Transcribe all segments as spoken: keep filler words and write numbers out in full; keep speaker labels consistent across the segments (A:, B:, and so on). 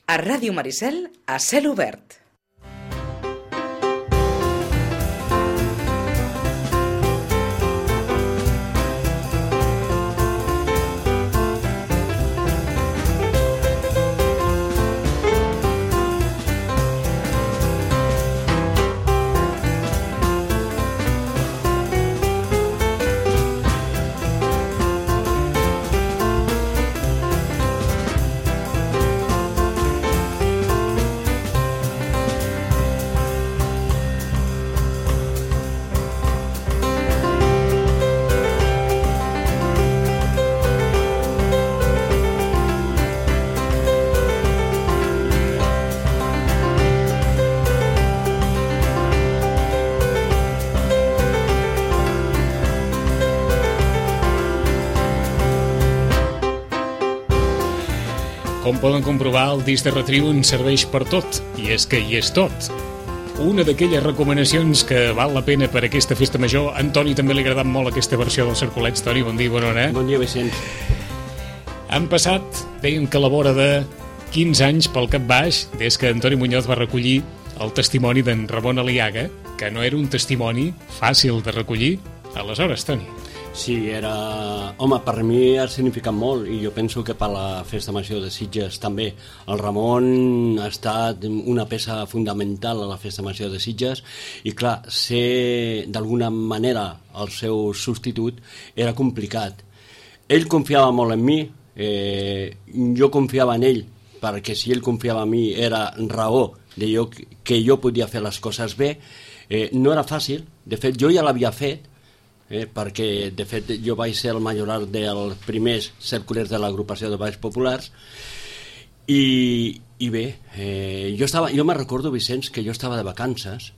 A: A Ràdio Maricel, a cel obert.
B: Com poden comprovar, el disc de Retriu ens serveix per tot, i és que hi és tot. Una d'aquelles recomanacions que val la pena per aquesta festa major. A Antoni també li ha agradat molt aquesta versió dels Cercolets. Toni, bon dia, bona hora.
C: Bon dia, Vicenç.
B: Han passat, deien que a la vora de quinze anys pel cap baix, des que Antoni Muñoz va recollir el testimoni d'en Ramon Aliaga, que no era un testimoni fàcil de recollir. Aleshores, Toni.
C: Sí, era... Home, per mi ha significat molt, i jo penso que per la Festa Major de Sitges també. El Ramon ha estat una peça fundamental a la Festa Major de Sitges, i clar, ser d'alguna manera el seu substitut era complicat. Ell confiava molt en mi, eh, jo confiava en ell, perquè si ell confiava en mi era raó de jo, que jo podia fer les coses bé. Eh, no era fàcil, de fet jo ja l'havia fet, Eh, perquè de fet jo vaig ser el majoral dels primers cerculers de l'agrupació de Balls Populars, i, i bé, eh, jo, estava, jo me recordo, Vicenç, que jo estava de vacances,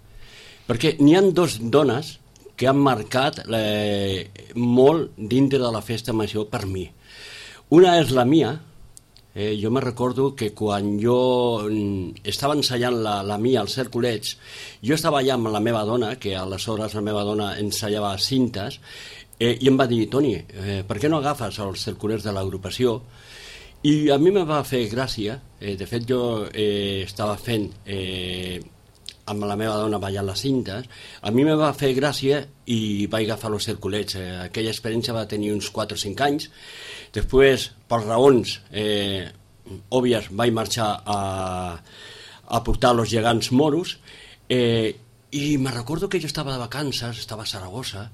C: perquè n'hi ha dos dones que han marcat eh, molt dintre de la festa major per mi. Una és la mia. Eh, jo me recordo que quan jo estava ensaiant la, la mia als cerculets, jo estava allà amb la meva dona, que aleshores la meva dona ensaiava cintes, eh, i em va dir: Toni, eh, per què no agafes els cerculets de l'agrupació? I a mi me va fer gràcia. Eh, de fet, jo eh, estava fent eh, amb la meva dona ballant les cintes. A mi me va fer gràcia i vaig agafar els cerculets. Eh, aquella experiència va tenir uns quatre o cinc anys. Després, per raons eh, òbvies, vaig marxar a, a portar els gegants moros, eh, i me recordo que jo estava de vacances, estava a Saragossa,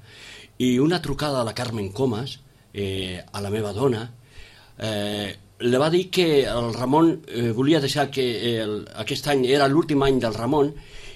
C: i una trucada de la Carmen Comas, eh, a la meva dona, eh, li va dir que el Ramon eh, volia deixar que el, aquest any era l'últim any del Ramon,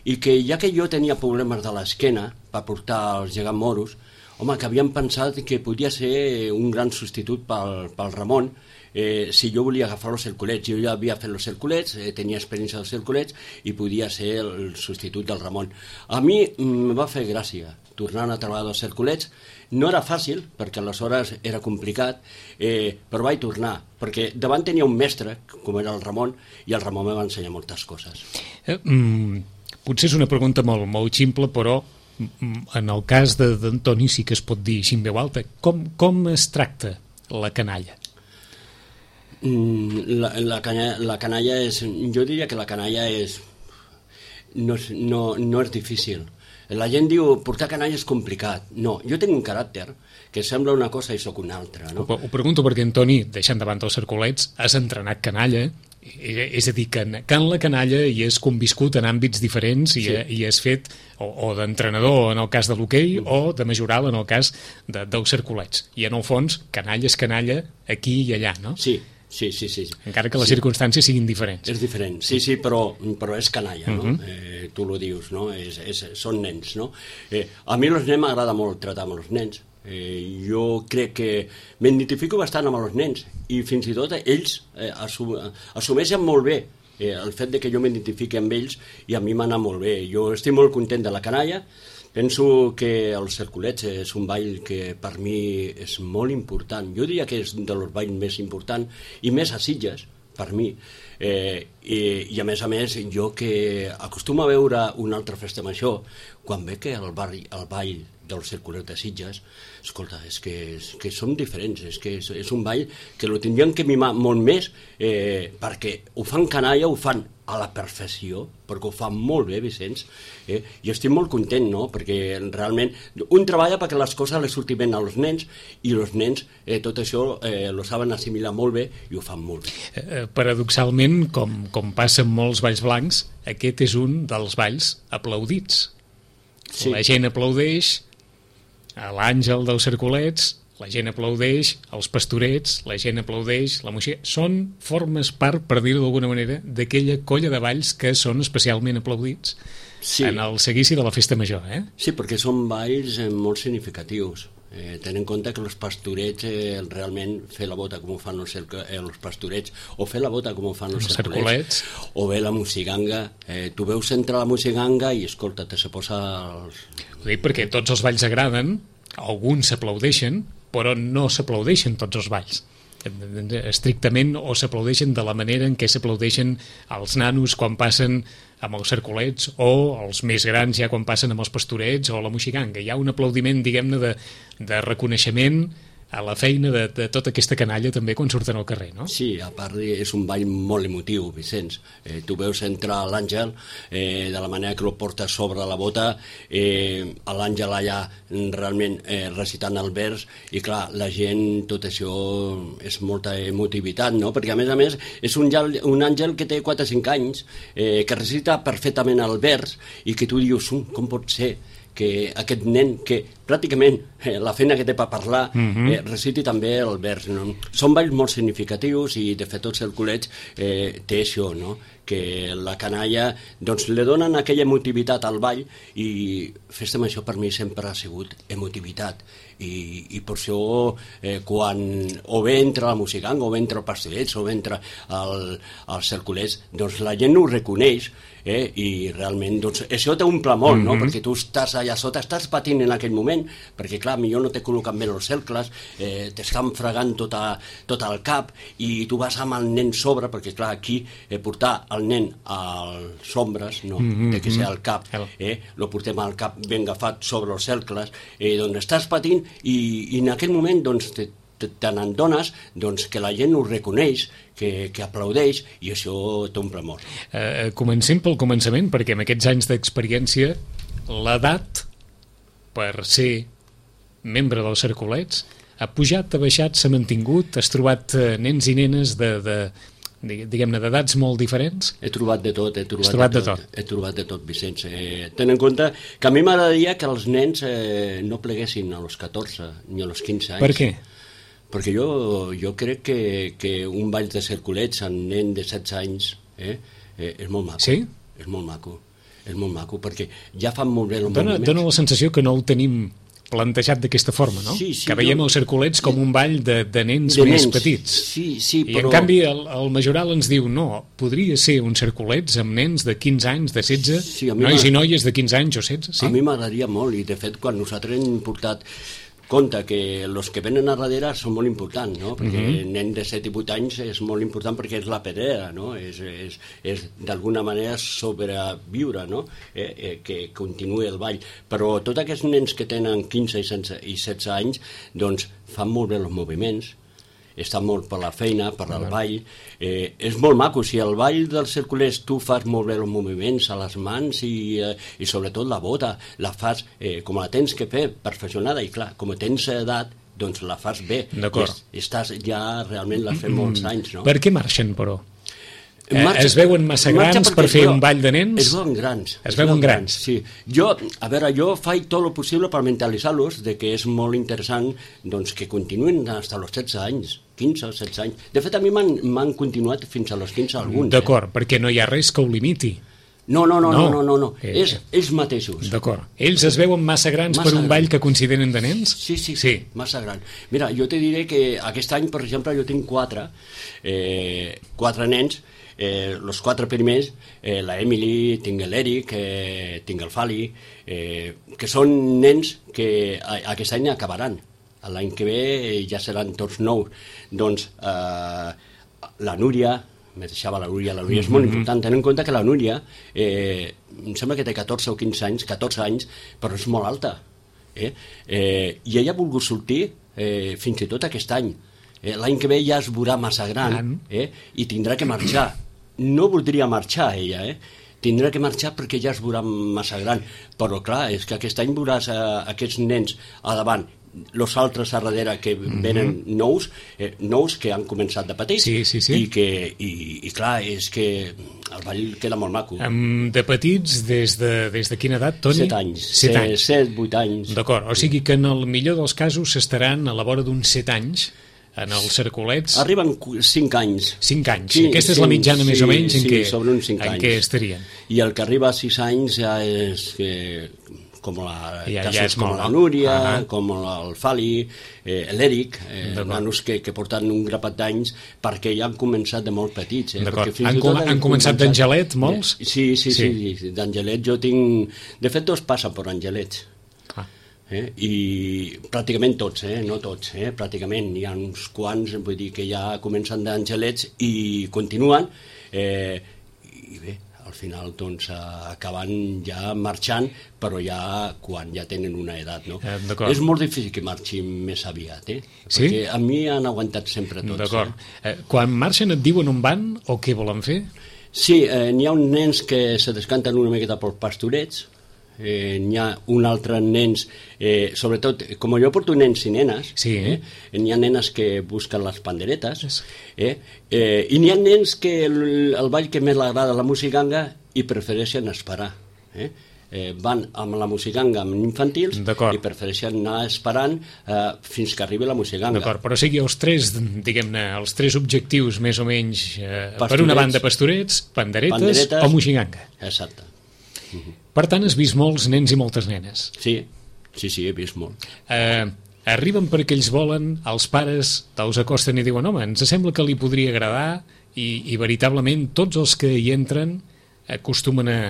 C: i que ja que jo tenia problemes de l'esquena per portar els gegants moros, home, que havien pensat que podia ser un gran substitut pel, pel Ramon, eh, si jo volia agafar els cerculets. Jo ja havia fet els cerculets, eh, tenia experiència dels cerculets, i podia ser el substitut del Ramon. A mi em va fer gràcia tornar a treballar dels cerculets. No era fàcil, perquè aleshores era complicat, eh, però vaig tornar, perquè davant tenia un mestre, com era el Ramon, i el Ramon me va ensenyar moltes coses.
B: Eh, mm, potser és una pregunta molt, molt ximple, però en el cas d'Antoni sí que es pot dir així en veu alta. Com, com es tracta la canalla?
C: La, la, canya, la canalla és... Jo diria que la canalla és... No, no, no és difícil. La gent diu, portar canalla és complicat. No, jo tinc un caràcter que sembla una cosa i sóc una altra, no?
B: Ho, ho pregunto perquè, Antoni, deixant davant els cercolets, has entrenat canalla, és a dir, que en, que en la canalla hi has conviscut en àmbits diferents i, sí. i has fet o, o d'entrenador en el cas de l'hoquei, mm. o de majoral en el cas de, dels cercolets. I en el fons, canalla és canalla aquí i allà, no?
C: Sí, sí, sí. sí.
B: Encara que les
C: sí.
B: circumstàncies siguin diferents.
C: És diferent, sí, sí, però, però és canalla, no?
B: Uh-huh.
C: eh, tu lo dius, no? És, és, són nens, no? Eh, a mi els nens m'agrada molt tractar amb els nens. Eh, jo crec que m'identifico bastant amb els nens, i fins i tot ells eh, assum, assumeixen molt bé eh, el fet de que jo m'identifiqui amb ells, i a mi m'ha anat molt bé. Jo estic molt content de la canalla. Penso que els cerculets és un ball que per mi és molt important. Jo diria que és dels balls més importants i més a Sitges, per mi. Eh, i, I a més a més, jo que acostumo a veure una altra festa major, quan ve que el, barri, el ball dels circulets de Sitges, escolta, és que, és que són diferents, és que és, és un ball que lo tindrien que mimar molt més, eh, perquè ho fan canalla, ho fan a la perfecció, perquè ho fa molt bé, Vicenç, eh? i estic molt content, no?, perquè realment un treballa perquè les coses les surtin bé als nens, i els nens eh, tot això eh, lo saben assimilar molt bé i ho fan molt bé.
B: Eh, paradoxalment, com, com passa amb molts balls blancs, aquest és un dels balls aplaudits. Sí. La gent aplaudeix a l'Àngel dels Cercolets, la gent aplaudeix als Pastorets, la gent aplaudeix la música. Són, formes part, per dir-ho d'alguna manera, d'aquella colla de balls que són especialment aplaudits sí. en el seguici de la festa major. Eh?
C: Sí, perquè són balls eh, molt significatius. Eh, ten en compte que els Pastorets eh, realment fer la bota com ho fan els, eh, els Pastorets, o fer la bota com ho fan els, els cercolets, o bé la mosiganga. Eh, tu veus entre la mosiganga i escolta, te se posa... Els...
B: Ho dic perquè tots els balls agraden, alguns s'aplaudeixen, però no s'aplaudeixen tots els balls. Estrictament, o s'aplaudeixen de la manera en què s'aplaudeixen els nanos quan passen amb els cercolets, o els més grans ja quan passen amb els Pastorets o la moixiganga. Hi ha un aplaudiment, diguem-ne, de, de reconeixement a la feina de, de tota aquesta canalla també quan surten al carrer, no?
C: Sí, a part és un ball molt emotiu, Vicenç. Eh, tu veus entrar l'Àngel eh, de la manera que lo porta sobre la bota, eh, l'Àngel allà realment eh, recitant el vers, i clar, la gent, tot això és molta emotivitat, no? Perquè a més a més és un, un àngel que té quatre o cinc anys, eh, que recita perfectament el vers, i que tu dius, um, com pot ser que aquest nen, que pràcticament eh, la feina que té per parlar, mm-hmm. eh, reciti també el vers, no? Són balls molt significatius, i de fet tots els cercolets eh, té això, no?, que la canalla doncs li donen aquella emotivitat al ball, i festa major per mi sempre ha sigut emotivitat, i, i per això eh, quan o bé entra la mosiganga, o bé entra el Pastorets, o bé entra el, els cercolets, doncs la gent ho reconeix, eh, i realment doncs, això t'omple molt, no? Mm-hmm. Perquè tu estàs allà sota, estàs patint en aquell moment, perquè clar, millor no t'he col·locat bé els cercles, eh, t'estan fregant tot, a, tot el cap, i tu vas amb el nen sobre, perquè clar, aquí eh, portar el nen als ombres, no, mm-hmm. té que ser al cap, eh, lo portem al cap ben agafat sobre els cercles, eh, doncs estàs patint, i, i en aquell moment doncs te, te, te n'adones doncs, que la gent ho reconeix, que, que aplaudeix, i això t'omple molt.
B: Eh, comencem pel començament, perquè amb aquests anys d'experiència l'edat per ser membre dels cercolets ha pujat, ha baixat, s'ha mantingut, has trobat eh, nens i nenes de, de, diguem-ne, d'edats molt diferents?
C: He trobat de tot, he trobat,
B: trobat
C: de,
B: de
C: tot,
B: tot.
C: He trobat de tot, Vicenç. Eh, ten en compte que a mi m'agradaria que els nens eh, no pleguessin a los catorze ni a los quinze anys.
B: Per què?
C: Perquè jo, jo crec que, que un ball de cercolets amb nen de setze anys eh, eh, és molt maco.
B: Sí?
C: És molt maco. És molt maco, perquè ja fan molt bé els
B: dona,
C: moviments.
B: Dona la sensació que no ho tenim plantejat d'aquesta forma, no?
C: Sí, sí,
B: que veiem
C: jo...
B: els cercolets com un ball de, de nens
C: de
B: més
C: nens.
B: petits.
C: Sí, sí,
B: I
C: però...
B: en canvi el, el Majoral ens diu no, podria ser un cercolets amb nens de quinze anys, de setze, sí, nois i noies de quinze anys o setze. Sí?
C: A mi m'agradaria molt, i de fet quan nosaltres hem portat compte que els que venen a darrere són molt importants, no? Perquè mm-hmm. nen de set i vuit anys és molt important perquè és la pedrera, no? És, és, és d'alguna manera sobreviure, no? Eh, eh, que continuï el ball. Però tots aquests nens que tenen quinze i setze anys, doncs fan molt bé els moviments, estan molt per la feina, per el ball. Eh, és molt maco, si el ball dels cercolers tu fas molt bé els moviments a les mans i, eh, i sobretot la bota, la fas eh, com la tens que fer, perfeccionada, i clar, com tens edat, doncs la fas bé.
B: D'acord.
C: Estàs ja, realment l'has fet molts anys, no?
B: Per què marxen, però? Marxa, es veuen massa grans per fer un ball de nens?
C: Es veuen grans.
B: Es, es veuen grans. grans.
C: Sí. Jo, a veure, jo faig tot el possible per mentalitzar-los de que és molt interessant doncs, que continuïn fins als setze anys, quinze o setze anys. De fet, a mi m'han continuat fins a los quinze alguns.
B: D'acord,
C: eh?
B: perquè no hi ha res que ho limiti.
C: No, no, no, no, no, no, no. Eh, és ells mateixos.
B: D'acord. Ells es veuen massa grans massa per un gran. Ball que consideren de nens?
C: Sí, sí, sí, massa gran. Mira, jo te diré que aquest any, per exemple, jo tinc quatre, eh, quatre nens, eh, els quatre primers, eh, la Emily, tinc l'Eric, eh, tinc el Fali, eh, que són nens que a, aquest any acabaran. L'any que ve ja seran tots nous. Doncs eh, la Núria, me deixava la Núria, la Núria és molt important, tenint en compte que la Núria, eh, em sembla que té catorze o quinze anys, catorze anys, però és molt alta. Eh? Eh, I ella ha volgut sortir eh, fins i tot aquest any. Eh, L'any que ve ja es veurà massa gran eh? I tindrà que marxar. No voldria marxar ella, eh? Tindrà que marxar perquè ja es veurà massa gran. Però clar, és que aquest any veuràs eh, aquests nens a davant, els altres a darrere que venen mm -hmm. nous, eh, nous que han començat de petits,
B: sí, sí, sí.
C: I, que, i, i clar, és que el ball queda molt maco.
B: Um, de petits, des de, des de quina edat, Toni?
C: Set anys.
B: Set anys.
C: Set, vuit anys.
B: D'acord, o sigui que en el millor dels casos s'estaran a la vora d'uns set anys en els cercolets.
C: Arriben cinc anys.
B: Cinc anys. Sí, aquesta és la mitjana
C: sí,
B: més o menys en,
C: sí,
B: què,
C: sobre uns cinc
B: en
C: anys.
B: què estarien.
C: I el que arriba a sis anys ja és que... com la,
B: ja,
C: casos
B: ja és
C: com
B: molt,
C: la Núria,
B: ah,
C: com el Fali, eh, l'Eric, eh, nanos que, que porten un grapat d'anys perquè ja han començat de molt petits. Eh?
B: D'acord. Han, com, han començat d'Angelet, molts?
C: Eh, sí, sí, sí, sí, sí. d'Angelet jo tinc... De fet, tots passen per Angelets.
B: Ah.
C: Eh? I pràcticament tots, eh? No tots, eh? Pràcticament. Hi ha uns quants, vull dir, que ja comencen d'Angelets i continuen. Eh, I bé, al final doncs acaben ja marxant, però ja quan ja tenen una edat, no?
B: Eh,
C: és molt difícil que marxin més aviat, eh?
B: Sí?
C: Perquè a mi han aguantat sempre tots.
B: D'acord.
C: Eh?
B: Eh, quan marxen et diuen on van o què volen fer?
C: Sí, eh, n'hi ha uns nens que se descanten una miqueta pels pastorets, eh, n'hi ha un altre nens, eh, sobretot, com jo porto nens i nenes,
B: sí.
C: eh, n'hi ha nenes que busquen les panderetes, eh, eh, i n'hi ha nens que el, el ball que més li agrada la musicanga i prefereixen esperar. Eh? Eh, van amb la musicanga amb infantils i prefereixen anar esperant eh, fins que arribi la musicanga.
B: D'acord, però sigui els tres, diguem-ne, els tres objectius més o menys, eh, per una banda pastorets, panderetes, panderetes o musicanga.
C: Exacte.
B: Uh -huh. Per tant, has vist molts nens i moltes nenes.
C: Sí, sí, sí, he vist molt.
B: Eh, arriben perquè ells volen, els pares te'ls acosten i diuen home, ens sembla que li podria agradar i, i veritablement tots els que hi entren acostumen a,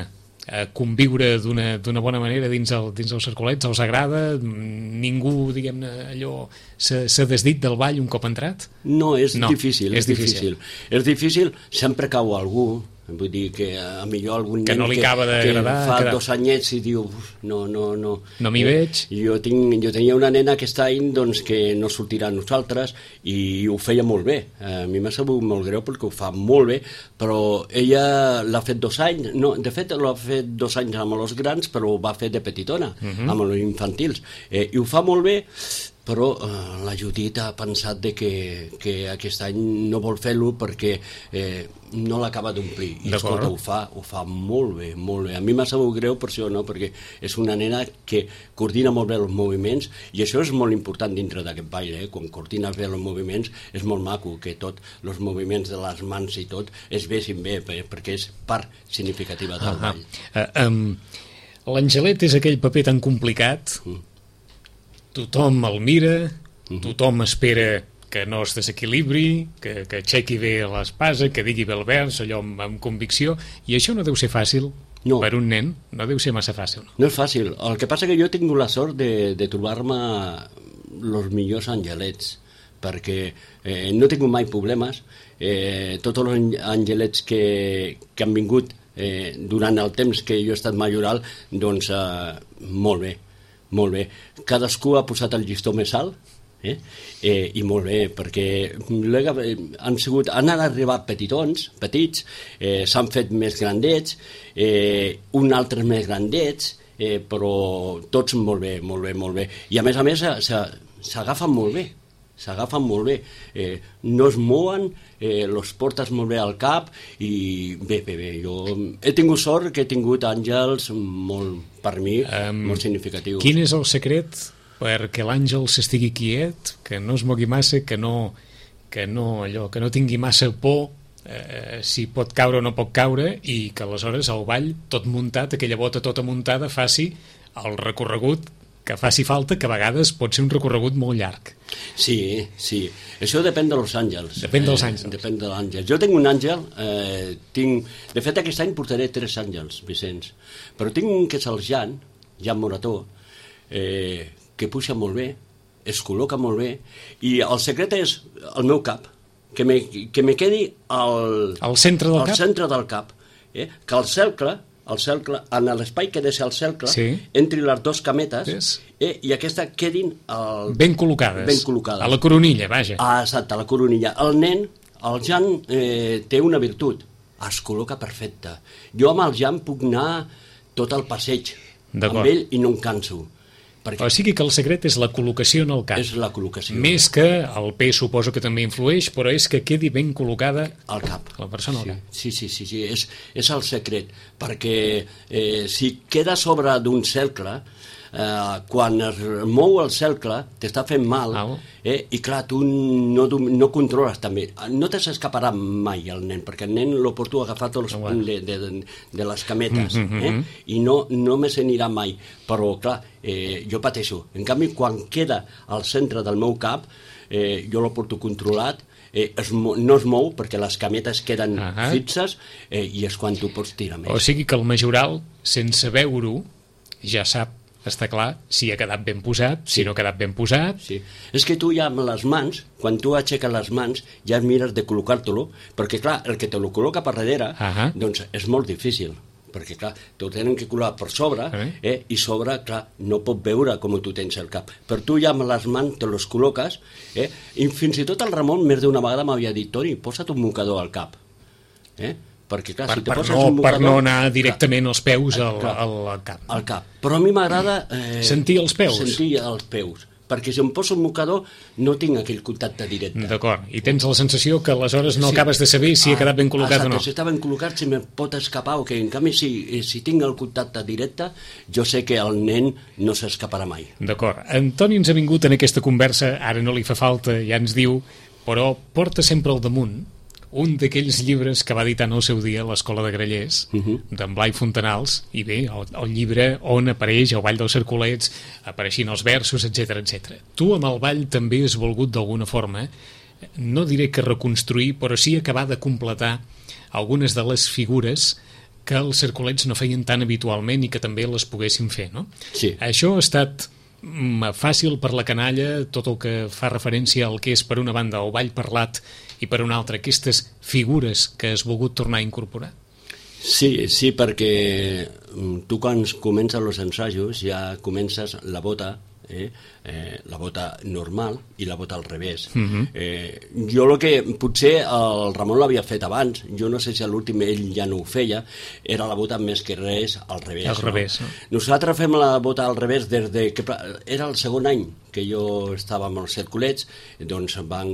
B: a conviure d'una bona manera dins, el, dins els cercolets, els agrada, ningú, diguem-ne, allò s'ha desdit del ball un cop entrat?
C: No, és
B: no,
C: difícil, és, és difícil. difícil. És difícil, sempre cau algú, vull dir que a millor algun
B: que
C: nen
B: no li acaba d'agradar,
C: que fa
B: que...
C: dos anyets i diu no, no, no.
B: No m'hi
C: eh,
B: veig.
C: Jo, tinc, jo tenia una nena aquest any doncs, que no sortirà a nosaltres i ho feia molt bé. A mi m'ha sabut molt greu perquè ho fa molt bé, però ella l'ha fet dos anys, no, de fet l'ha fet dos anys amb els grans, però ho va fer de petitona, uh -huh. amb els infantils. Eh, I ho fa molt bé, però eh, la Judit ha pensat de que, que aquest any no vol fer-lo perquè eh, no l'acaba d'omplir. I escolta, ho fa, ho fa molt bé, molt bé. A mi m'ha sabut greu per això, no? Perquè és una nena que coordina molt bé els moviments i això és molt important dintre d'aquest ball, eh? Quan coordines bé els moviments és molt maco que tots els moviments de les mans i tot es vegin bé, perquè és part significativa del uh -huh. ball.
B: Uh, um, L'Angelet és aquell paper tan complicat, mm. tothom el mira, mm-hmm. tothom espera que no es desequilibri, que, que aixequi bé l'espasa, que digui bé el vers, allò amb, amb convicció, i això no deu ser fàcil no. per un nen, no deu ser massa fàcil. No,
C: no és fàcil, el que passa que jo he tingut la sort de, de trobar-me els millors angelets, perquè eh, no he tingut mai problemes, eh, tots els angelets que, que han vingut eh, durant el temps que jo he estat majoral, doncs eh, molt bé, molt bé. Cadascú ha posat el llistó més alt, Eh? Eh, i molt bé, perquè han, sigut, han arribat petitons, petits, eh, s'han fet més grandets, eh, un altre més grandets, eh, però tots molt bé, molt bé, molt bé. I a més a més s'agafen molt bé, s'agafen molt bé, eh, no es mouen, eh, los portes molt bé al cap i bé, bé, bé, jo he tingut sort que he tingut àngels molt, per mi, um, molt significatius.
B: Quin és el secret perquè l'àngel s'estigui quiet, que no es mogui massa, que no, que no, allò, que no tingui massa por eh, si pot caure o no pot caure, i que aleshores el ball tot muntat, aquella bota tota muntada, faci el recorregut que faci falta, que a vegades pot ser un recorregut molt llarg.
C: Sí, sí. Això depèn dels àngels.
B: Depèn dels àngels.
C: Eh, depèn de l'àngel. Jo tinc un àngel, eh, tinc... de fet aquest any portaré tres àngels, Vicenç, però tinc un que és el Jan, Jan Morató, eh, que puja molt bé, es col·loca molt bé, i el secret és el meu cap, que me, que me quedi al,
B: al centre del
C: al
B: cap,
C: centre del cap eh? Que el cercle el cercle, en l'espai que deixa el cercle,
B: sí.
C: entri les dues cametes
B: yes.
C: eh, i aquesta quedin... El...
B: Ben col·locades.
C: Ben col·locades.
B: A la coronilla, vaja.
C: Ah, exacte, a la coronilla. El nen, el Jan, eh, té una virtut. Es col·loca perfecte. Jo amb el Jan puc anar tot el passeig amb ell i no em canso.
B: Perquè o sigui que el secret és la col·locació en el cap.
C: És la col·locació.
B: Més que el pes suposo que també influeix, però és que quedi ben col·locada
C: al cap.
B: La persona
C: sí,
B: al cap.
C: Sí, sí, sí, sí. És, és el secret, perquè eh, si queda sobre d'un cercle, eh, quan es mou el cercle, t'està fent mal, eh, i clar, tu no, no controles també. No te s'escaparà mai el nen, perquè el nen lo porto agafat els, oh, de, de, de les cametes, mm-hmm. eh, i no, no me se n'anirà mai. Però, clar, eh, jo pateixo. En canvi, quan queda al centre del meu cap, eh, jo lo porto controlat, eh, es, no es mou perquè les cametes queden uh-huh. fixes eh, i és quan tu pots tirar més.
B: O sigui que el majoral, sense veure-ho, ja sap, està clar, si ha quedat ben posat, sí. si no ha quedat ben posat...
C: Sí. És que tu ja amb les mans, quan tu aixeques les mans, ja mires de col·locar-te-lo, perquè clar, el que te lo col·loca per darrere, uh-huh. doncs és molt difícil, perquè clar, t'ho tenen que col·locar per sobre, uh-huh. eh, i sobre, clar, no pot veure com tu tens el cap. Per tu ja amb les mans te los col·loques, eh, i fins i tot el Ramon més d'una vegada m'havia dit, Toni, posa't un mocador al cap, eh? Perquè, clar,
B: per,
C: si te
B: per,
C: poses
B: no,
C: un mocador,
B: per no anar directament clar, els peus al,
C: clar,
B: al, al cap.
C: Al cap. Però a mi m'agrada... Eh,
B: sentir els peus.
C: Sentir els peus. Perquè si em poso un mocador no tinc aquell contacte directe.
B: D'acord. I tens la sensació que aleshores no sí. acabes de saber si ah, ha quedat ben col·locat
C: exacte,
B: o no.
C: Si està ben col·locat, si me pot escapar o que en canvi si, si tinc el contacte directe, jo sé que el nen no s'escaparà mai.
B: D'acord. Antoni ens ha vingut en aquesta conversa, ara no li fa falta, ja ens diu, però porta sempre al damunt un d'aquells llibres que va editar en el seu dia l'Escola de Grallers, uh-huh. d'en Blai Fontanals, i bé, el, el llibre on apareix el Ball dels Cercolets, apareixin els versos, etcètera, etcètera. Tu amb el ball també has volgut d'alguna forma, no diré que reconstruir, però sí acabar de completar algunes de les figures que els cercolets no feien tan habitualment i que també les poguessin fer, no?
C: Sí.
B: Això ha estat fàcil per la canalla, tot el que fa referència al que és per una banda el ball parlat i per una altra aquestes figures que has volgut tornar a incorporar?
C: Sí, sí, perquè tu quan comences els ensajos ja comences la bota, eh, eh, la bota normal i la bota al revés. Uh-huh. eh, jo el que potser el Ramon l'havia fet abans, jo no sé si a l'últim ell ja no ho feia, era la bota més que res al revés.
B: Al revés, no?
C: no? Nosaltres fem la bota al revés des de que era el segon any que jo estava amb els cercolets, doncs van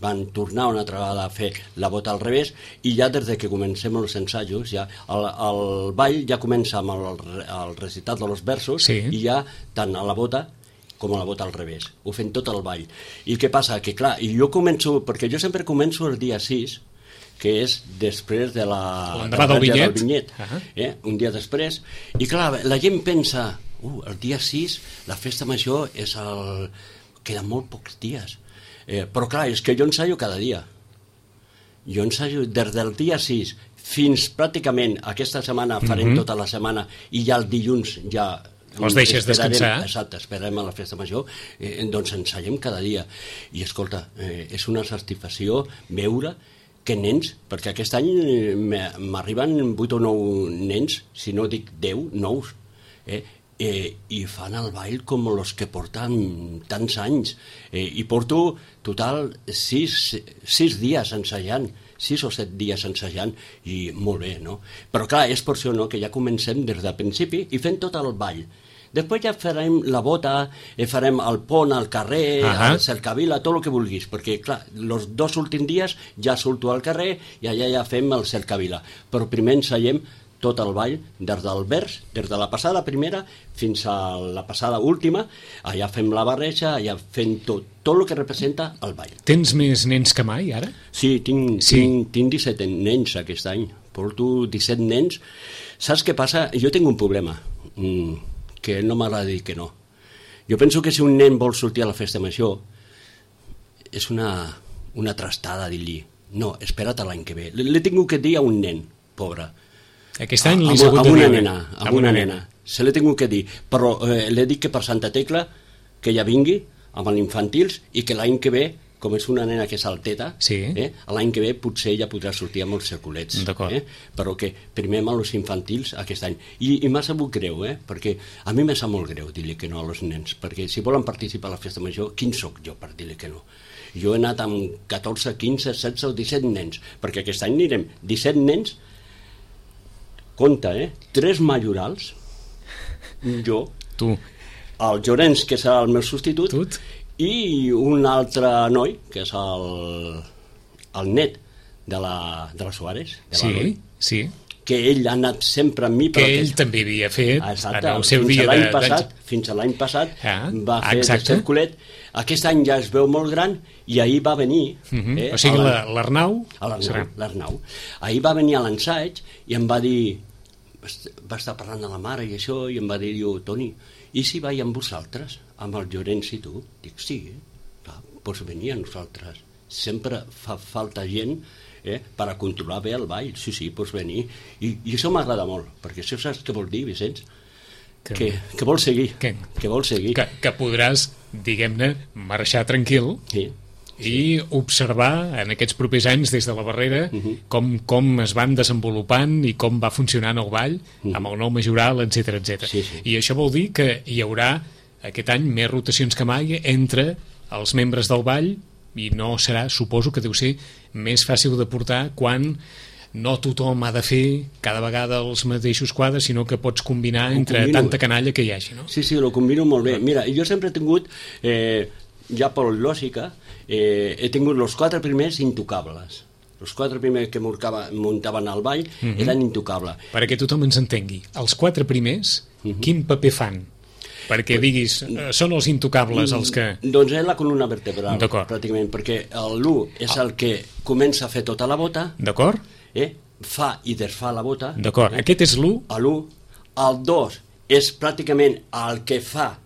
C: van tornar una altra vegada a fer la bota al revés i ja des de que comencem els ensajos ja el, el ball ja comença amb el, el recitat dels versos
B: sí.
C: i ja tant a la bota com a la bota al revés, ho fem tot el ball. I què passa? Que clar, i jo començo, perquè jo sempre començo el dia sis, que és després de la
B: l'endemà del vinyet,
C: del vinyet uh-huh. eh? un dia després, i clar, la gent pensa, uh, el dia sis la festa major és el... queden molt pocs dies. Eh, però clar, és que jo ensaio cada dia. Jo ensaio des del dia sis fins pràcticament aquesta setmana, farem mm-hmm. tota la setmana i ja el dilluns ja
B: els deixes descansar.
C: Exacte, esperem a la festa major, eh, doncs ensaiem cada dia. I escolta, eh, és una satisfacció veure que nens, perquè aquest any m'arriben vuit o nou nens, si no dic deu, nous, eh, Eh, i fan el ball com els que porten tants anys eh, i porto total sis, sis dies ensajant sis o set dies ensajant i molt bé, no? Però clar, és per això no, que ja comencem des del principi i fent tot el ball. Després ja farem la bota, eh, farem el pont al carrer, uh-huh. el cercavila, tot el que vulguis, perquè clar, els dos últims dies ja surto al carrer i allà ja fem el cercavila, però primer ensaiem tot el ball, des del vers, des de la passada primera fins a la passada última, allà fem la barreja, allà fem tot, tot el que representa el ball.
B: Tens més nens que mai, ara?
C: Sí, tinc, sí. tinc, tinc disset nens aquest any, porto disset nens. Saps què passa? Jo tinc un problema, mm, que no m'agrada dir que no. Jo penso que si un nen vol sortir a la festa major, és una, una trastada dir-li, no, espera't a l'any que ve. L'he tingut que dir a un nen, pobre.
B: Aquest any li
C: s'ha
B: hagut
C: de dir. Amb una nena, amb una
B: nena.
C: nena. Se l'he tingut que dir, però eh, l'he dit que per Santa Tecla que ja vingui amb els infantils i que l'any que ve com és una nena que és alteta,
B: sí.
C: eh, l'any que ve potser ja podrà sortir amb els circulets. Eh? Però que primer amb els infantils aquest any. I, i m'ha sabut greu, eh? Perquè a mi m'ha sap molt greu dir-li que no a els nens, perquè si volen participar a la festa major, quin sóc jo per dir-li que no? Jo he anat amb catorze, quinze, setze o disset nens, perquè aquest any anirem disset nens, compte, eh? Tres majorals, jo,
B: tu,
C: el Llorenç, que serà el meu substitut,
B: Tut.
C: i un altre noi, que és el, el net de la, de la Suárez, de la
B: sí,
C: Noi,
B: sí,
C: que ell ha anat sempre amb mi,
B: que
C: però
B: ell
C: que...
B: també havia fet
C: exacte,
B: en el seu
C: fins
B: dia
C: a l'any
B: de...
C: passat, fins a l'any passat
B: ah,
C: va fer
B: exacte.
C: de circulet. Aquest any ja es veu molt gran i ahir va venir...
B: Uh -huh.
C: eh,
B: o sigui, l'Arnau...
C: L'Arnau. Ahir va venir a l'ensaig i em va dir... Va estar parlant de la mare i això, i em va dir, jo, Toni, i si vaig amb vosaltres, amb el Llorenç i tu? Dic, sí, clar, pots venir a nosaltres. Sempre fa falta gent eh, per a controlar bé el ball. Sí, sí, pots venir. I, i això m'agrada molt, perquè això saps què vol dir, Vicenç? Que, que, que vol seguir.
B: Que,
C: que vol seguir.
B: Que, que podràs, diguem-ne, marxar tranquil
C: sí,
B: i sí. observar en aquests propers anys des de la barrera uh -huh. com, com es van desenvolupant i com va funcionant el ball uh -huh. amb el nou majoral, etcètera, etcètera.
C: Sí, sí.
B: I això vol dir que hi haurà aquest any més rotacions que mai entre els membres del ball i no serà, suposo que deu ser més fàcil de portar quan no tothom ha de fer cada vegada els mateixos quadres, sinó que pots combinar ho entre combino. Tanta canalla que hi hagi, no?
C: Sí, sí, ho combino molt bé. Mira, jo sempre he tingut, eh, ja per lògica, eh, he tingut els quatre primers intocables. Els quatre primers que muntaven al ball uh -huh. eren intocables.
B: Perquè tothom ens entengui, els quatre primers, uh -huh. quin paper fan? Perquè diguis, eh, són els intocables els que...
C: Doncs és la columna vertebral, pràcticament, perquè l'u és el que comença a fer tota la bota,
B: d'acord?
C: Eh? Fa i desfà la bota.
B: D'acord, eh? Aquest és l'u.
C: L'u. El dos és pràcticament el que fa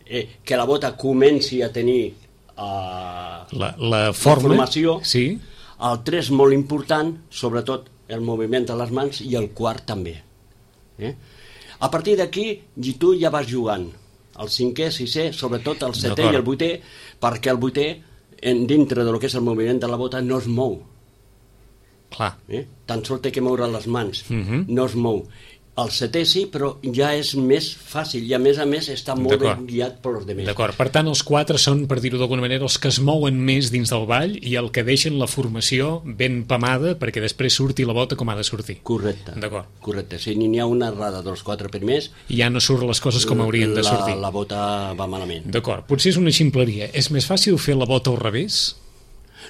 C: eh, que la bota comenci a tenir uh,
B: la, la, forma,
C: la formació.
B: Sí.
C: El tres, molt important, sobretot el moviment de les mans, i el quart també. Eh? A partir d'aquí, tu ja vas jugant. El cinquè, sisè, sobretot el setè i el vuitè, perquè el vuitè, en, dintre del que és el moviment de la bota, no es mou.
B: Clar.
C: Eh? Tan sols té que moure les mans,
B: uh -huh.
C: no es mou. El setè sí, però ja és més fàcil i a més a més està molt ben guiat per els demés.
B: D'acord, per tant els quatre són, per dir-ho d'alguna manera, els que es mouen més dins del ball i el que deixen la formació ben pamada perquè després surti la bota com ha de sortir.
C: Correcte.
B: D'acord.
C: Correcte. Si n'hi ha una errada dels quatre primers...
B: I ja no surt les coses com haurien de sortir.
C: La, la bota va malament.
B: D'acord. Potser és una ximpleria. És més fàcil fer la bota al revés?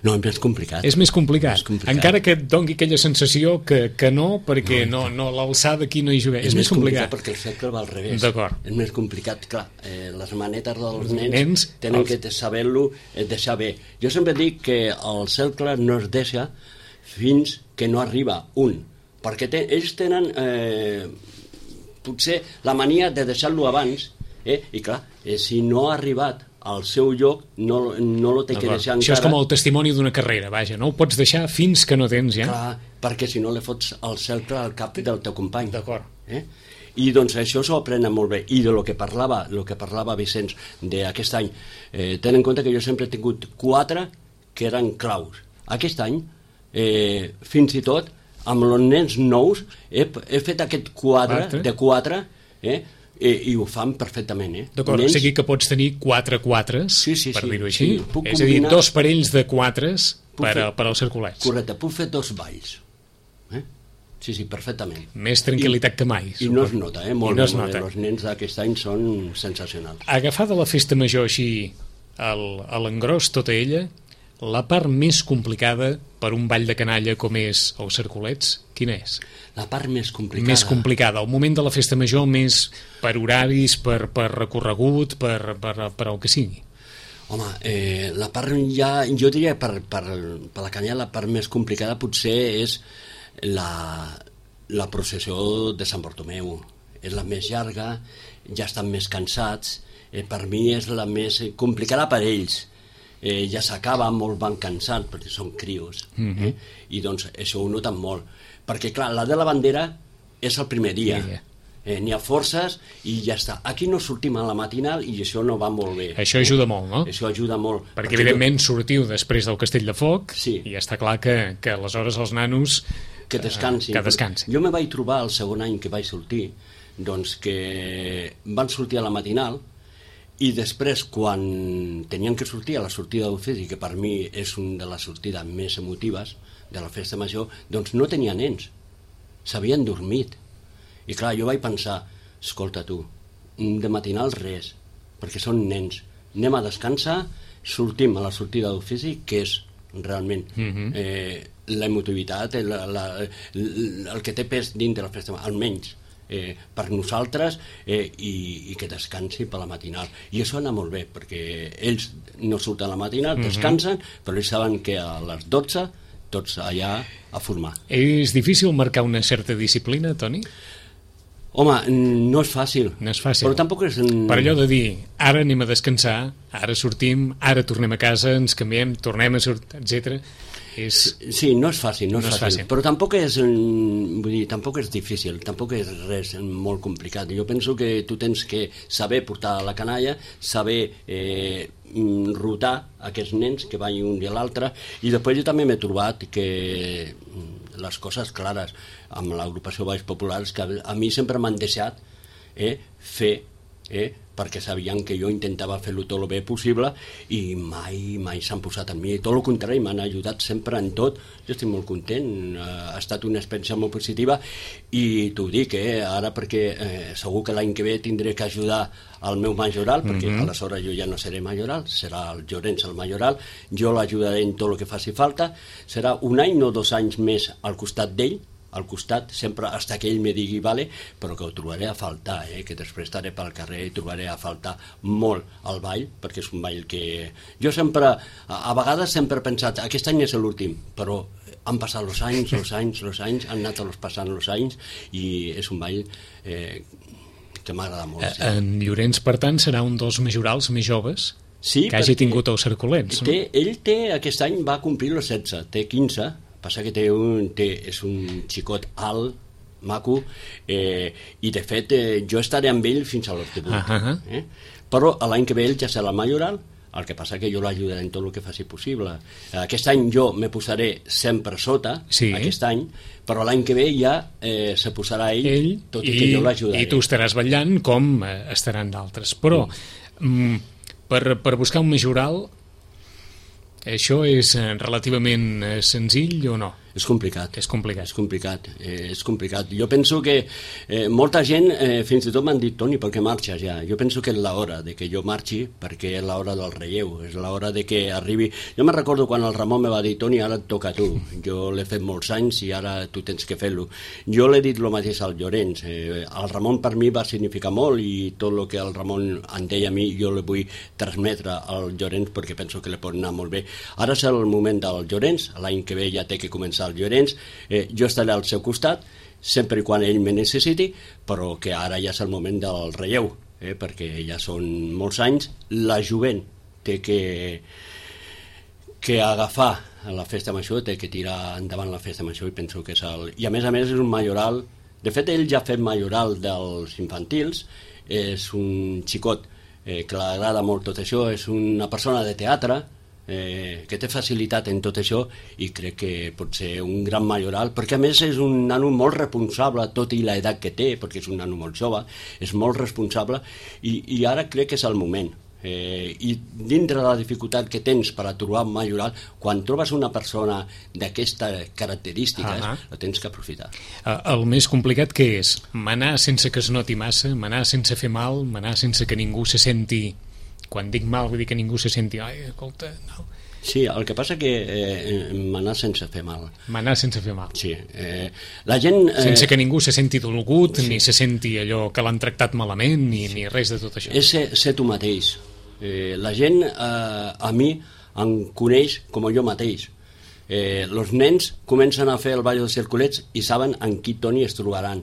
C: No, és més complicat.
B: És més complicat.
C: És complicat.
B: Encara que et doni aquella sensació que, que no, perquè no, no, no l'alçada aquí no hi juga. És, és més complicat.
C: complicat perquè el cercle va al revés.
B: D'acord.
C: És més complicat, clar. Eh, les manetes dels nens,
B: nens
C: tenen
B: els...
C: que saber-lo eh, deixar bé. Jo sempre dic que el cercle no es deixa fins que no arriba un. Perquè te, ells tenen eh, potser la mania de deixar-lo abans, eh? I clar, eh, si no ha arribat al seu lloc, no, no lo té que deixar encara.
B: Això és com el testimoni d'una carrera, vaja, no ho pots deixar fins que no tens, ja?
C: Clar, perquè si no li fots el cercle al cap del teu company.
B: D'acord.
C: Eh? I doncs això s'ho aprenen molt bé. I de lo que parlava, lo que parlava Vicenç d'aquest any, eh, ten en compte que jo sempre he tingut quatre que eren claus. Aquest any, eh, fins i tot, amb els nens nous, he, he fet aquest quadre quatre? de quatre, eh, I, i ho fan perfectament, eh?
B: D'acord, nens... o sigui que pots tenir quatre quatres,
C: sí, sí,
B: per
C: sí,
B: dir-ho així,
C: sí. Puc
B: és a dir, dos parells de quatres per,
C: fer...
B: per als circulets.
C: Correcte, puc fer dos balls. Eh? Sí, sí, perfectament.
B: Més tranquil·litat
C: I,
B: que mai.
C: I no es nota, eh? Molt
B: no
C: bé,
B: es nota.
C: Els nens d'aquest any són sensacionals.
B: Agafada la festa major així, el, a l'engròs, tota ella, la part més complicada per un ball de canalla com és els circulets, quina és?
C: La part més complicada.
B: Més complicada, el moment de la festa major més per horaris, per, per recorregut, per, per, per el que sigui.
C: Home, eh, la part ja, jo diria per, per, per la canya la part més complicada potser és la, la processió de Sant Bartomeu. És la més llarga, ja estan més cansats, eh, per mi és la més complicada per ells. Eh, ja s'acaba, molts van cansats perquè són crios,
B: mm-hmm.
C: eh? I doncs això ho noten molt. Perquè, clar, la de la bandera és el primer dia.
B: Yeah.
C: eh, n'hi ha forces i ja està. Aquí no sortim a la matinal i això no va molt bé.
B: Això ajuda molt, no?
C: Això ajuda molt.
B: Perquè, perquè evidentment, tu... sortiu després del Castell de Foc
C: sí.
B: i està clar que, que aleshores els nanos...
C: Que descansin.
B: Que descansin.
C: Jo me vaig trobar el segon any que vaig sortir, doncs que van sortir a la matinal i després, quan tenien que sortir a la sortida d'ofici, que per mi és una de les sortides més emotives de la festa major, doncs no tenia nens, s'havien dormit. I clar, jo vaig pensar, escolta tu, de matinal res, perquè són nens, anem a descansar, sortim a la sortida d'ofici, que és realment mm-hmm. eh, l'emotivitat, la, la, el que té pes dintre de la festa, almenys eh, per nosaltres, eh, i, i que descansi per la matinal. I això anar molt bé, perquè ells no surten a la matinal, descansen, mm-hmm. però ells saben que a les dotze tots allà a formar.
B: És difícil marcar una certa disciplina, Toni?
C: Home, no és fàcil.
B: No és fàcil.
C: Però tampoc és...
B: Per allò de dir, ara anem a descansar, ara sortim, ara tornem a casa, ens canviem, tornem a sortir, etcètera. És...
C: Sí, no és fàcil, no és,
B: no és
C: fàcil. fàcil. Però tampoc és, vull dir, tampoc és difícil, tampoc és res molt complicat. Jo penso que tu tens que saber portar la canalla, saber eh, rotar aquests nens que van un dia a l'altre, i després jo també m'he trobat que les coses clares amb l'agrupació Balls Populars, que a mi sempre m'han deixat eh, fer, eh, perquè sabien que jo intentava fer-lo tot el bé possible i mai, mai s'han posat en mi. Tot el contrari, m'han ajudat sempre en tot. Jo estic molt content, ha estat una experiència molt positiva i t'ho dic, eh, ara perquè eh, segur que l'any que ve tindré que ajudar al meu majoral, perquè mm-hmm. aleshores jo ja no seré majoral, serà el Llorenç el majoral, jo l'ajudaré en tot el que faci falta, serà un any, no dos anys més al costat d'ell, al costat, sempre fins que ell me digui vale, però que ho trobaré a faltar, eh? Que després estaré pel carrer i trobaré a faltar molt el ball, perquè és un ball que... Jo sempre, a, a vegades sempre he pensat, aquest any és l'últim, però han passat els anys, els anys, els anys, han anat els passant els anys, i és un ball eh, que m'agrada molt. Sí.
B: En Llorenç, per tant, serà un dels majorals més joves
C: sí,
B: que hagi tingut els Cercolets.
C: Té, no? Ell té, aquest any va complir els setze, té quinze, passa que té un, té, és un xicot alt, maco, eh, i de fet eh, jo estaré amb ell fins a l'hort de vuit. Uh-huh. eh? Però l'any que ve ell ja serà el majoral, el que passa que jo l'ajudaré en tot el que faci possible. Aquest any jo me posaré sempre sota, sí. aquest any, però l'any que ve ja eh, se posarà ell, ell tot i, i que jo l'ajudaré.
B: I tu estaràs ballant com eh, estaran d'altres. Però mm. per, per buscar un majoral, això és relativament senzill o no?
C: És complicat.
B: És complicat.
C: És complicat. Eh, és complicat. Jo penso que eh, molta gent eh, fins i tot m'han dit, Toni, per què marxes ja? Jo penso que és l'hora de que jo marxi, perquè és l'hora del relleu, és l'hora de que arribi... Jo me recordo quan el Ramon me va dir, Toni, ara et toca a tu. Jo l'he fet molts anys i ara tu tens que fer-lo. Jo l'he dit el mateix al Llorenç. Eh, el Ramon per mi va significar molt i tot el que el Ramon em deia a mi jo le vull transmetre al Llorenç perquè penso que li pot anar molt bé. Ara és el moment del Llorenç, l'any que ve ja té que començar el Llorenç, eh, jo estaré al seu costat sempre i quan ell me necessiti, però que ara ja és el moment del relleu, eh, perquè ja són molts anys, la jovent té que que agafar la festa major, té que tirar endavant la festa major, i penso que és el... I a més a més és un majoral, de fet ell ja ha fet majoral dels infantils, és un xicot eh, que li agrada molt tot això, és una persona de teatre, Eh, que té facilitat en tot això, i crec que pot ser un gran majoral, perquè a més és un nano molt responsable, tot i l'edat que té, perquè és un nano molt jove, és molt responsable, i, i ara crec que és el moment. Eh, i dintre de la dificultat que tens per a trobar un majoral, quan trobes una persona d'aquestes característiques, uh-huh. la tens que aprofitar.
B: Uh, el més complicat què és? Manar sense que es noti massa, manar sense fer mal, manar sense que ningú se senti... Quan dic mal vull dir que ningú se senti ai, escolta, no.
C: Sí, el que passa que eh, manar sense fer mal.
B: Manar sense fer mal.
C: Sí. Eh, la gent... Eh,
B: sense que ningú se senti dolgut, sí. ni se senti allò que l'han tractat malament, ni, sí. ni res de tot això.
C: És ser, ser tu mateix. Eh, la gent eh, a mi em coneix com jo mateix. Eh, els nens comencen a fer el ball dels circulets i saben en qui Toni es trobaran.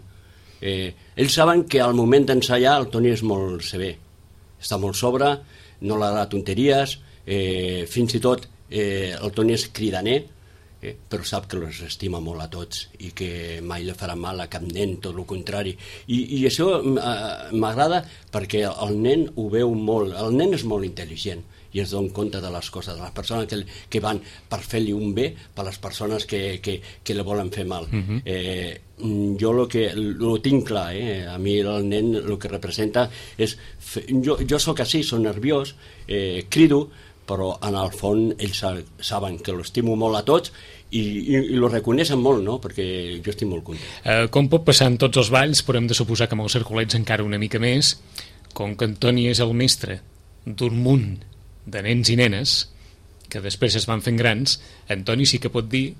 C: Eh, ells saben que al moment d'ensaiar el Toni és molt sever. Està molt sobre, no li agrada tonteries, eh, fins i tot eh, el Toni és cridaner, eh, però sap que els estima molt a tots i que mai li farà mal a cap nen, tot el contrari. I, i això eh, m'agrada perquè el nen ho veu molt, el nen és molt intel·ligent i es dona compte de les coses, de les persones que, que van per fer-li un bé, per les persones que, que, que li volen fer mal. Uh-huh. eh, jo lo que lo tinc clar, eh? A mi el nen el que representa és... Fer, jo, jo sóc així, soc nerviós, eh, crido, però en el fons ells saben que l'estimo molt a tots i, i, i lo reconeixen molt, no? Perquè jo estic molt content.
B: Eh, com pot passar en tots els balls, però hem de suposar que amb els Cercolets encara una mica més, com que Antoni és el mestre d'un munt de nens i nenes que després es van fent grans, Antoni sí que pot dir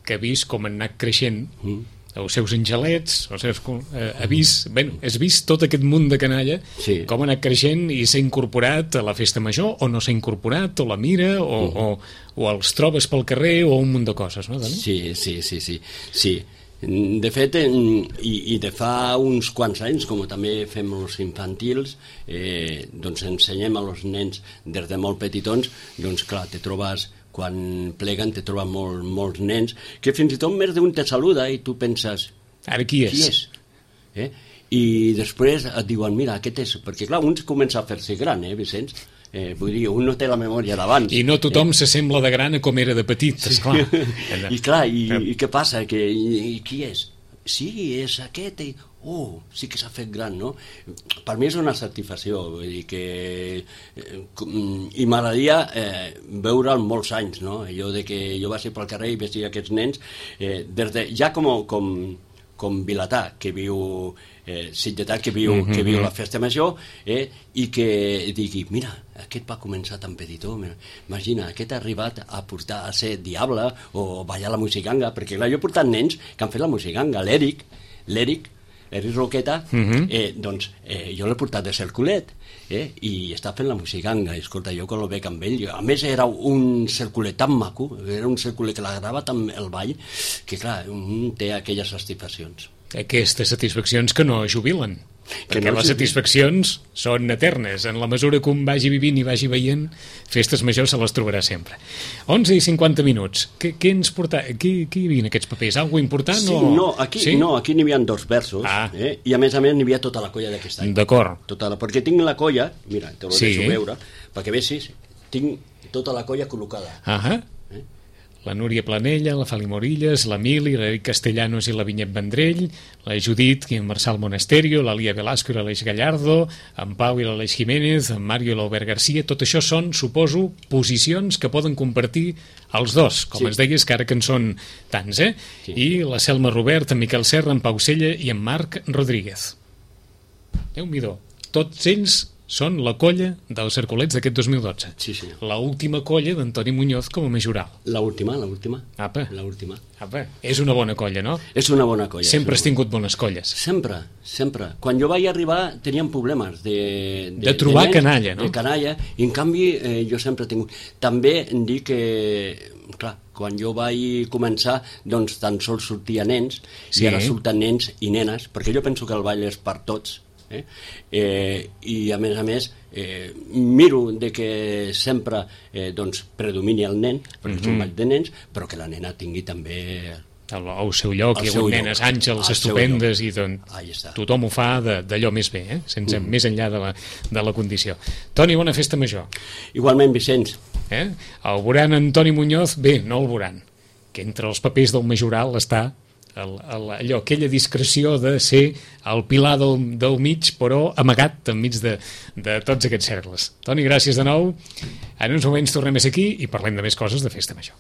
B: que ha vist com han anat creixent mm. els seus angelets, els seus, eh, ha vist, bueno, has vist tot aquest munt de canalla, sí. com ha anat creixent i s'ha incorporat a la festa major o no s'ha incorporat, o la mira o, mm. o, o els trobes pel carrer o un munt de coses, no, Dani?
C: Sí, sí, sí, sí, sí. De fet, i, i de fa uns quants anys, com també fem els infantils, eh, doncs ensenyem a els nens des de molt petitons, doncs clar, te trobes, quan pleguen, te troben molt, molts nens, que fins i tot més d'un te saluda i tu penses...
B: Ara qui és?
C: Qui és? Eh? I després et diuen, mira, aquest és... Perquè clar, un comença a fer-se gran, eh, Vicenç? Eh, vull dir, un no té la memòria d'abans.
B: I no tothom eh? s'assembla de gran a com era de petit,
C: sí.
B: esclar.
C: I clar, i, i què passa? Que, i, I qui és? Sí, és aquest. I, oh, sí que s'ha fet gran, no? Per mi és una satisfacció, vull dir que... Eh, I m'agradaria eh, veure'l molts anys, no? Jo de que jo vaig pel carrer i veia aquests nens, eh, des de, ja com, com, com Vilatà, que viu... Eh, Sitgetà, que viu, mm-hmm. que viu la festa major, eh, i que digui, mira, aquest va començar tan petitó, imagina, aquest ha arribat a portar a ser diable o ballar la musicanga, perquè clar, jo he portat nens que han fet la musicanga, l'Eric, l'Eric, l'Eric Roqueta, mm-hmm. eh, doncs eh, jo l'he portat de cerculet, eh, i està fent la musicanga, i escolta, jo quan el veig amb ell, jo, a més era un cerculet tan maco, era un cerculet que l'agradava tant el ball, que clar, un té aquelles satisfaccions.
B: Aquestes satisfaccions que no jubilen, perquè
C: no
B: les satisfaccions són eternes. En la mesura que un vagi vivint i vagi veient, festes majors se les trobarà sempre. onze i cinquanta minuts. Què, què ens porta? Qui, qui hi havia en aquests papers? Algo important?
C: Sí,
B: o...
C: no, aquí, sí? no, aquí n'hi havia dos versos, ah. eh? I a més a més n'hi havia tota la colla d'aquest any.
B: D'acord.
C: Tota la, perquè tinc la colla, mira, te ho
B: sí.
C: deixo veure, perquè veisis, tinc tota la colla col·locada.
B: Ahà. Eh? La Núria Planella, la Fali Morillas, la Mili, l'Eric Castellanos i la Vinyet Vendrell, la Judit i en Marçal Monasterio, la Lia Velasco i l'Aleix Gallardo, en Pau i l'Aleix Jiménez, en Mario i l'Albert Garcia. Tot això són, suposo, posicions que poden compartir els dos, com sí. ens deies, que ara que en són tants, eh? Sí. I la Selma Robert, en Miquel Serra, en Pau Sella i en Marc Rodríguez. Déu-m'hi-do. Tots ells són la colla dels Cercolets d'aquest dos mil dotze.
C: Sí, sí.
B: La última colla d'Antoni Muñoz com a majoral.
C: La última, la última.
B: Apa.
C: La última.
B: Apa. És una bona colla, no?
C: És una bona colla.
B: Sempre has tingut bones colles.
C: Sempre, sempre. Quan jo vaig arribar teníem problemes de...
B: De, de trobar
C: de nens,
B: canalla, no?
C: De canalla, i en canvi eh, jo sempre he tingut... També em dic que... Clar, quan jo vaig començar, doncs tan sols sortia nens, sí. i ara surten nens i nenes, perquè jo penso que el ball és per tots, Eh? Eh, i a més a més eh, miro de que sempre eh, doncs predomini el nen perquè mm-hmm. és un ball de nens, però que la nena tingui també
B: el, el seu lloc, hi ha hagut nenes àngels estupendes i doncs tothom ho fa d'allò més bé, eh? Sense, mm. més enllà de la, de la condició. Toni, bona festa major.
C: Igualment, Vicenç.
B: Eh? El veuran Antoni Muñoz, bé, no el veuran, que entre els papers del majoral està El, el, allò, aquella discreció de ser el pilar del, del mig, però amagat enmig de, de tots aquests cercles. Toni, gràcies de nou. En uns moments tornem a ser aquí i parlem de més coses de festa major.